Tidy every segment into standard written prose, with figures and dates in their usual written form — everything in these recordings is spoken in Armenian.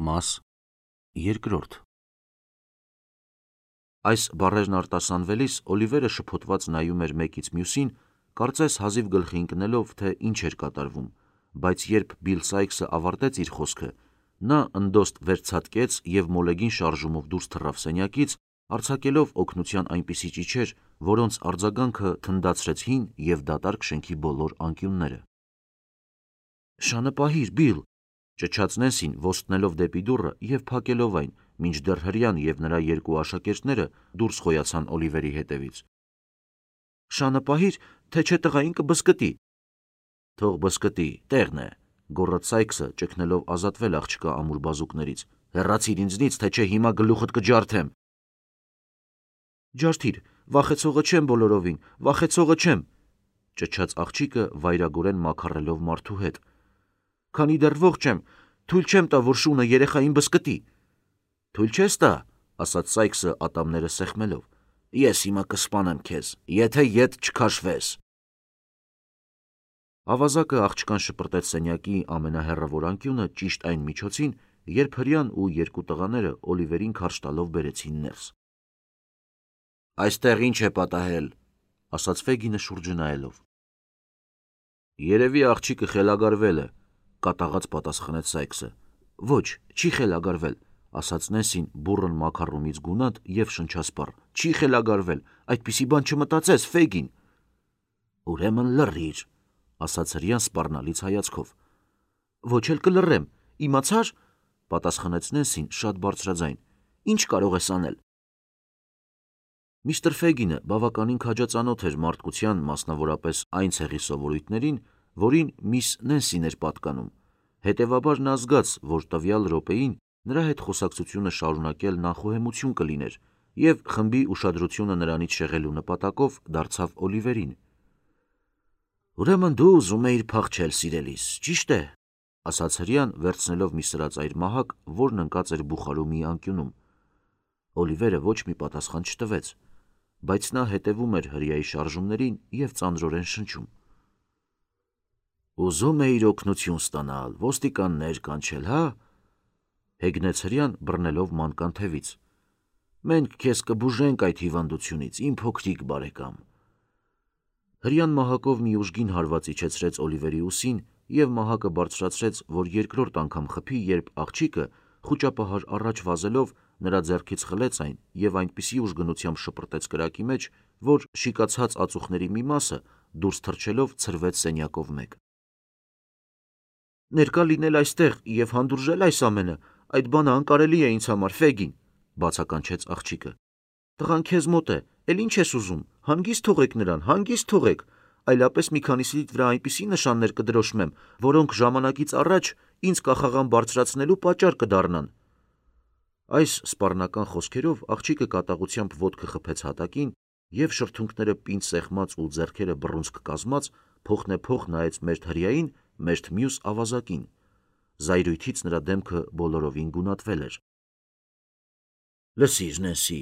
Մաս երկրորդ։ Այս բառերն արտասանվելիս Օլիվերը շփոթված նայում էր մեկից մյուսին, կարծես հազիվ գլխի ընկնելով, թե ինչ էր կատարվում, բայց երբ Բիլ Սայքսը ավարտեց իր խոսքը, նա ընդոստ վերցատկեց և մոլեգին շարժումով դուրս թռավ սենյակից, արձակելով օգնության այնպիսի ճիչեր, որոնց արձագանքը թնդացրեց հին և դատարկ շենքի բոլոր անկյունները։ «Շանը պահիր, Բիլ», ճչաց Նենսին, ոստնելով դեպի դուռը և փակելով այն, մինչդեռ հրեան և նրա երկու աշակերտները դուրս խոյացան Օլիվերի հետևից։ «Շանը պահիր, թե չէ տղային կբզկտի»։ «Թող բզկտի, տեղն է», գոռաց Սայքսը, ճգնելով ազատվել աղջկա ամուր բազուկներից։ «Հեռացիր ինձնից, թե չէ հիմա գլուխդ կջարդեմ»։ «Ջարդիր, վախեցողը չեմ բոլորովին, վախեցողը չեմ», ճչաց աղջիկը վայրագորեն մաքառելով մարդու հետ։ «Քանի դեռ ողջ եմ, թույլ չեմ տա, որ շունը երեխային բզկտի»։ «Թույլ չես տա», ասաց Սայքսը ատամները սեղմելով։ «Ես հիմա կսպանեմ քեզ, եթե ետ չքաշվես»։ Ավազակը աղջկան շպրտեց սենյակի ամենահեռավոր անկյունը ճիշտ այն միջոցին, երբ հրեան ու երկու տղաները Օլիվերին քարշ տալով բերեցին ներս։ «Այստեղ ինչ է պատահել», ասաց Ֆեգինը շուրջը նայելով։ «Երևի աղջիկը խելագարվել է», կատաղած պատասխանեց Սայքսը։ «Ոչ, չի խելագարվել», ասաց Նենսին բուռն մաքառումից գունատ և շնչասպառ։ «Չի խելագարվել, այդպիսի բան չմտածես, Ֆեգին»։ «Ուրեմն լռիր», ասաց հրեան սպառնալից հայացքով։ «Ոչ էլ կլռեմ, իմացա՞ր», պատասխանեց Նենսին շատ բարձրաձայն։ «Ինչ կարող ես անել»։ Միստր Ֆեգինը բավականին քաջածանոթ էր մարդկության, մասնավորապես այն ցեղի սովորույթներին, որին միս Նենսին էր պատկանում, հետևաբար նա զգաց, որ տվյալ րոպեին նրա հետ խոսակցությունը շարունակել նախուհեմություն կլիներ, և խմբի ուշադրությունը նրանից շեղելու նպատակով դարձավ Օլիվերին։ «Ուրեմն դու ուզում էիր փախչել, սիրելիս, ճիշտ է», ասաց հրեան, վերցնելով մի սրածայր մահակ, որն ընկած էր բուխարու մի անկյունում։ Օլիվերը ոչ մի պատասխան չտվեց, բայց նա հետևում էր հրեայի շարժումներին և ծանրորեն շնչում։ «Ուզում էիր օգնություն ստանալ, ոստիկաններ կանչել, հա՞, հեգնեց հրեան, բռնելով մանկան թևից։ «Մենք քեզ կբուժենք այդ հիվանդությունից, իմ փոքրիկ բարեկամ»։ Հրեան մահակով մի ուժգին հարված իջեցրեց Օլիվերի ուսին և մահակը բարձրացրեց, որ երկրորդ անգամ խփի, երբ աղջիկը, խուճապահար առաջ վազելով, նրա ձեռքից խլեց այն և այնպիսի ուժգնությամբ շպրտեց կրակի մեջ, որ շիկացած ածուխների մի մասը, դուրս թռչելով, ցրվեց սենյակով մեկ։ «Ներկա լինել այստեղ և հանդուրժել այս ամենը, այդ բանը անկարելի է ինձ համար, Ֆեգին», բացականչեց աղջիկը։ «Տղան քեզ մոտ է, էլ ինչ ես ուզում, հանգիստ թողեք նրան, հանգիստ թողեք, այլապես մի քանիսիդ վրա այնպիսի նշաններ կդրոշմեմ, որոնք ժամանակից առաջ ինձ կախաղան բարձրացնելու պատճառ կդառնան»։ Այս սպառնական խոսքերով աղջիկը կատաղությամբ ոտքը խփեց հատակին և շրթունքները պինդ սեղմած ու ձեռքերը բռունցք կազմած փոխնեփոխ նայեց մերթ հրեային, մերթ մյուս ավազակին։ Զայրույթից նրա դեմքը բոլորովին գունատվել էր։ «Լսիր, Նենսի»,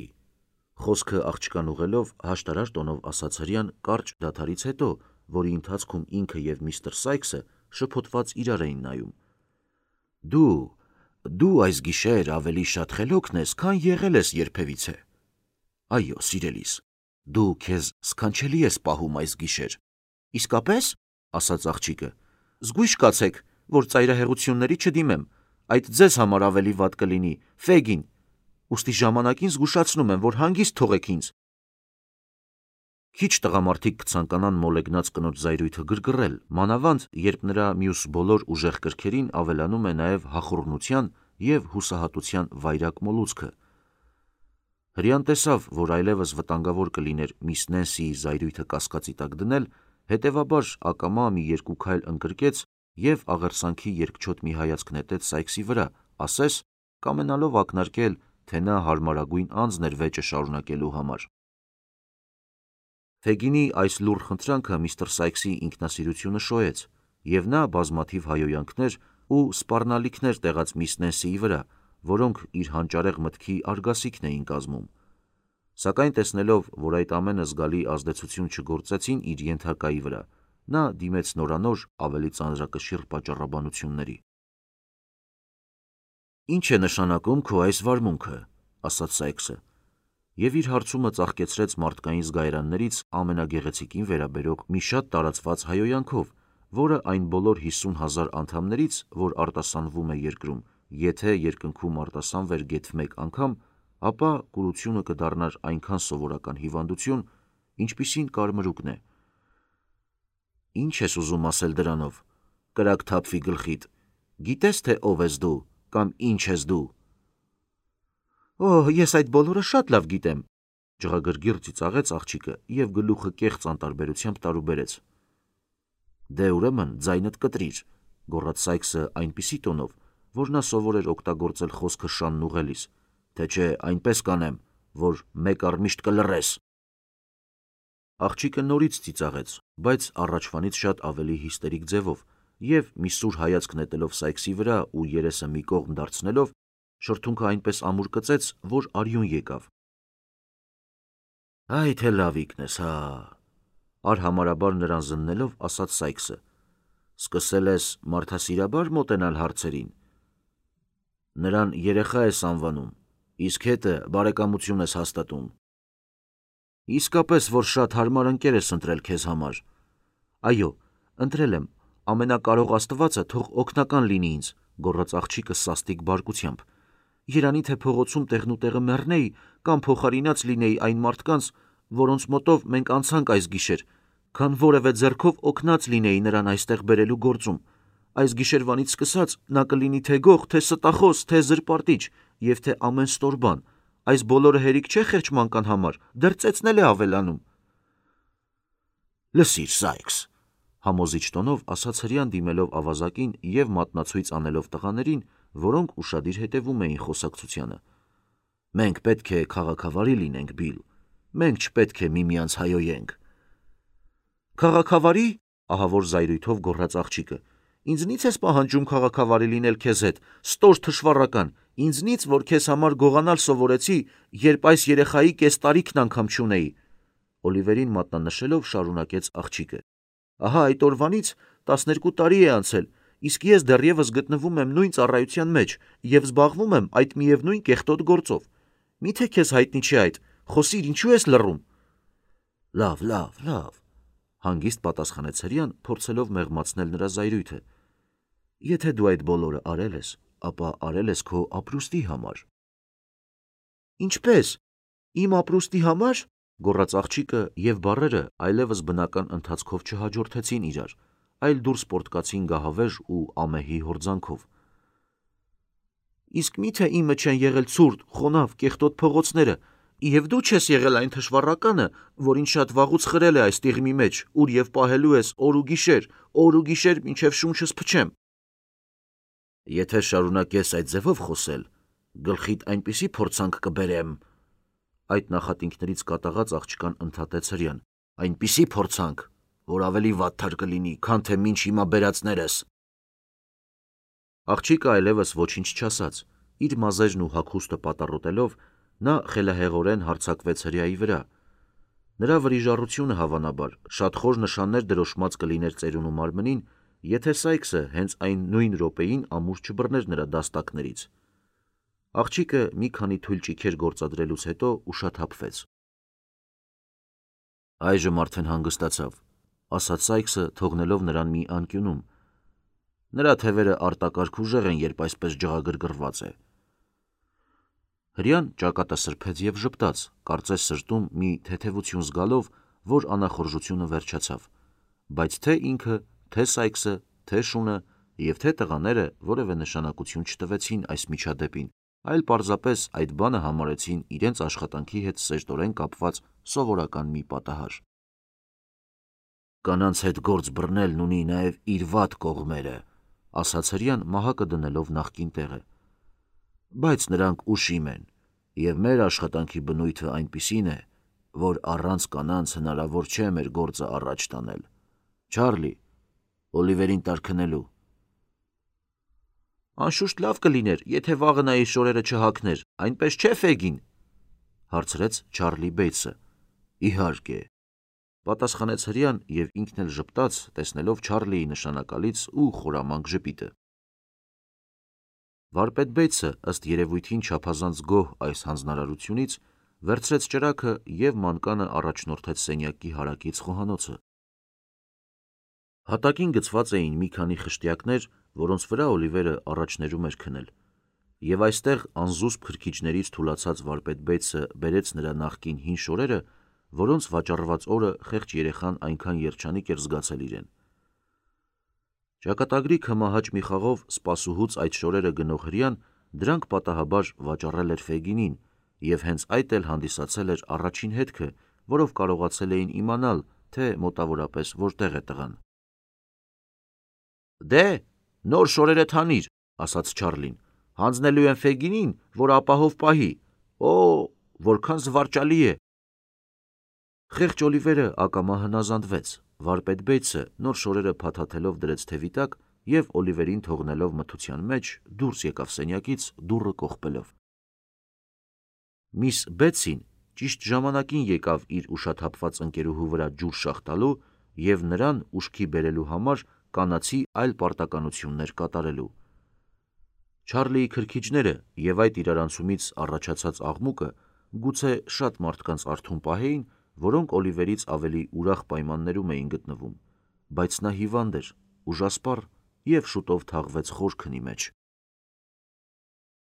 խոսքը աղջկան ուղղելով հաշտարար տոնով ասաց հրեան կարճ դադարից հետո, որի ընթացքում ինքը և միստր Սայքսը շփոթված իրար էին նայում։ Դու այս գիշեր ավելի շատ խելոքն ես, քան եղել ես երբևիցե։ Այո, սիրելիս, դու քեզ սքանչելի ես պահում այս գիշեր։ Իսկապե՞ս, ասաց աղջիկը։ Զգույշ կացեք, որ ծայրահեղությունների չդիմեմ, այդ ձեզ համար ավելի վատ կլինի, Ֆեգին, ուստի ժամանակին զգուշացնում եմ, որ հանգիստ թողեք ինձ։ Քիչ տղամարդիկ կցանկանան մոլեգնած կնոջ զայրույթը գրգռել, մանավանդ, երբ նրա մյուս բոլոր ուժեղ կրքերին ավելանում է նաև հախուռնության և հուսահատության վայրագ մոլուցքը։ Հրեան տեսավ, որ այլևս վտանգավոր կլիներ միս Նենսիի զայրույթը կասկածի տակ դնել, հետևաբար ակամա մի երկու քայլ ընկրկեց և աղերսանքի երկչոտ մի հայացք նետեց Սայքսի վրա, ասես կամենալով ակնարկել, թե նա հարմարագույն անձն էր վեճը շարունակելու համար։ Ֆեգինի այս լուռ խնդրանքը միստր Սայքսի ինքնասիրությունը շոյեց, և նա բազմաթիվ հայհոյանքներ ու սպառնալիքներ տեղաց միս Նենսիի վրա, որոնք իր հանճարեղ մտքի արգասիքն էին կազմում։ Սակայն տեսնելով, որ այդ ամենը զգալի ազդեցություն չգործեցին իր ենթակայի վրա, նա դիմեց նորանոր ավելի ծանրակշիռ պատճառաբանությունների։ Ինչ է նշանակում քո այս վարմունքը, ասաց Սայքսը, և իր հարցումը ծաղկեցրեց մարդկային զգայարաններից ամենագեղեցիկին վերաբերող մի շատ տարածված հայոյանքով, որը այն բոլոր 50,000 անդամներից, որ արտասանվում է երկրում, եթե երկնքում արտասանվեր գեթ մեկ անգամ, ապա կուրությունը կդառնար այնքան սովորական հիվանդություն, ինչպիսին կարմրուկն է։ Ինչ ես ուզում ասել դրանով, կրակ թափվի գլխիդ, գիտես թե ով ես դու, կամ ինչ ես դու։ Ես այդ բոլորը շատ լավ գիտեմ, ջղագրգիռ ծիծաղեց աղջիկը և գլուխը կեղծ անտարբերությամբ տարուբերեց։ Դե ուրեմն ձայնդ կտրիր, գոռաց Սայքսը այնպիսի տոնով, որ նա սովոր էր օգտագործել խոսքը շանն ուղղելիս, թե չէ այնպես կանեմ, որ մեկ առմիշտ կլռես։ Աղջիկը նորից ծիծաղեց, բայց առաջվանից շատ ավելի հիստերիկ ձևով, և մի սուր հայացք նետելով Սայքսի վրա ու երեսը մի կողմ դարձնելով, շրթունքը այնպես ամուր կծեց, որ արյուն եկավ։ Այ թե լավիկն ես, հա, արհամարհաբար նրան զննելով ասաց Սայքսը, սկսել ես մարդասիրաբար մոտենալ հարցերին։ Նրան երեխա ես անվանում, իսկ հետը բարեկամություն ես հաստատում։ Իսկապես, որ շատ հարմար ընկեր ես ընտրել քեզ համար։ Այո, ընտրել եմ, ամենակարող Աստվածը թող օգնական լինի ինձ, գոռաց աղջիկը սաստիկ բարկությամբ։ Երանի թե փողոցում տեղնուտեղը մեռնեի կամ փոխարինած լինեի այն մարդկանց, որոնց մոտով մենք անցանք այս գիշեր, քան որևէ ձեռքով օգնած լինեի նրան այստեղ բերելու գործում։ Այս գիշերվանից սկսած նա կլինի թե գող, թե ստախոս, թե զրպարտիչ և թե ամեն ստոր բան։ Այս բոլորը հերիք չէ խեղճ համար, դեռ ծեծնել է ավելանում։ Լսիր, Սայքս, համոզիչ տոնով ասաց հրեան դիմելով ավազակին և մատնացույց անելով տղաներին, որոնք ուշադիր հետևում էին խոսակցությանը։ Մենք պետք է քաղաքավարի լինենք, Բիլ, մենք չպետք է միմյանց հայոյենք։ Քաղաքավարի, ահավոր զայրույթով գոռաց աղջիկը, ինձնից ես պահանջում քաղաքավարի լինել քեզ հետ, ստոր թշվառական, ինձնից, որ քեզ համար գողանալ սովորեցի, երբ այս երեխայի կես տարիքն անգամ չունեի։ Օլիվերին մատնանշելով շարունակեց աղջիկը։ Ահա այդ օրվանից 12 տարի է անցել, իսկ ես դեռևս գտնվում եմ նույն ծառայության մեջ և զբաղվում եմ այդ միևնույն կեղտոտ գործով։ Միթե քեզ հայտնի չէ այդ, խոսիր, ինչու ես լռում։ Լավ, հանգիստ պատասխանեց հրեան, փորձելով մեղմացնել նրա զայրույթը։ Եթե դու այդ բոլորը արել ես, ապա արել ես քո ապրուստի համար։ Ինչպես։ Իմ ապրուստի համար, գոռաց աղջիկը, և բառերը այլևս բնական ընթացքով չհաջորդեցին իրար, այլ դուրս պոռթկացին գահավեժ ու ամեհի հորձանքով։ Իսկ միթե իմը չեն եղել ցուրտ, խոնավ, կեղտոտ փողոցները, և դու չես եղել այն թշվառականը, որ ինձ շատ վաղուց խրել է այս տիղմի մեջ, ուր և պահելու ես օր ու գիշեր, մինչև շունչս փչեմ։ Եթե շարունակես այդ ձևով խոսել, գլխիդ այնպիսի փորձանք կբերեմ։ Այդ նախատինքներից կատաղած աղջկան ընդհատեց հրեան։ Այնպիսի փորձանք, որ ավելի վատթար կլինի, քան թե մինչ հիմա բերածներս։ Աղջիկը այլևս ոչինչ չասաց, իր մազերն ու հագուստը պատառոտելով, նա խելահեղորեն հարձակվեց հրեայի վրա։ Նրա վրիժառությունը հավանաբար շատ խոր նշաններ դրոշմած կլիներ ծերունու մարմնին, եթե Սայքսը հենց այն նույն րոպեին ամուր չբռներ նրա դաստակներից։ Աղջիկը մի քանի թույլ ճիգեր գործադրելուց հետո ուշաթափվեց։ Այժմ արդեն հանգստացավ, ասաց Սայքսը, թողնելով նրան մի անկյունում։ Նրա թևերը արտակարգ ուժեղ են, երբ այսպես ջղագրգռված է։ Հրեան ճակատը սրբեց և ժպտաց, կարծես սրտում մի թեթևություն զգալով, որ անախորժությունը վերջացավ, բայց թե ինքը, թե Սայքսը, թե շունը և թե տղաները որևէ նշանակություն չտվեցին այս միջադեպին, այլ պարզապես այդ բանը համարեցին իրենց աշխատանքի հետ սերտորեն կապված սովորական մի պատահար։ Կանանց հետ գործ բռնելն ունի նաև իր վատ կողմերը, ասաց հրեան մահակը դնելով նախկին տեղը։ Բայց նրանք ուշիմ են, և մեր աշխատանքի բնույթը այնպիսին է, որ առանց կանանց հնարավոր չէ մեր գործը առաջ տանել։ Չարլի, Օլիվերին տար քնելու։ Անշուշտ լավ կլիներ, եթե վաղը նա իր շորերը չհագներ, այնպես չէ, Ֆեգին, հարցրեց Չարլի Բեյթսը։ Իհարկե, պատասխանեց հրեան և ինքն էլ ժպտաց, տեսնելով Չարլիի նշանակալից ու խորամանկ ժպիտը։ Վարպետ Բեյցը, ըստ երևույթին չափազանց գոհ այս հանձնարարությունից, վերցրեց ճրագը և մանկանը առաջնորդեց սենյակի հարակից խոհանոցը։ Հատակին գծված էին մի քանի խշտյակներ, որոնց վրա Օլիվերը առաջներում էր քնել, և այստեղ անզուսպ քրքիջներից թուլացած վարպետ Բեյցը բերեց նրա նախկին հին շորերը, որոնց վաճառված օրը խեղճ երեխան այնքան երջանիկ էր զգացել իրեն։ Ճակատագրի քմահաճ մի խաղով սպասուհուց այդ շորերը գնող հրեան դրանք պատահաբար վաճառել էր Ֆեյգինին, և հենց այդ էլ հանդիսացել էր առաջին հետքը, որով կարողացել էին իմանալ, թե մոտավորապես որտեղ է տղան։ «Դե, նոր շորերդ հանիր», ասաց Չարլին, «հանձնելու եմ Ֆեյգինին, որ ապահով պահի։ Օ, որքան զվարճալի է»։ Խեղճ Օլիվերը ակամա հնազանդվեց։ Վարպետ Բեյցը նոր շորերը փաթաթելով դրեց թևի տակ և Օլիվերին թողնելով մթության մեջ դուրս եկավ սենյակից, դուռը կողպելով։ Միս Բեթսին ճիշտ ժամանակին եկավ իր ուշաթափված ընկերուհու վրա ջուր շաղ տալու և նրան ուշքի բերելու համար կանացի այլ պարտականություններ կատարելու։ Չարլիի քրքիջները և այդ իրարանցումից առաջացած աղմուկը գուցե շատ մարդկանց արթուն պահեին, որոնք Օլիվերից ավելի ուրախ պայմաններում էին գտնվում, բայց նա հիվանդ էր, ուժասպառ և շուտով թաղվեց խոր քնի մեջ։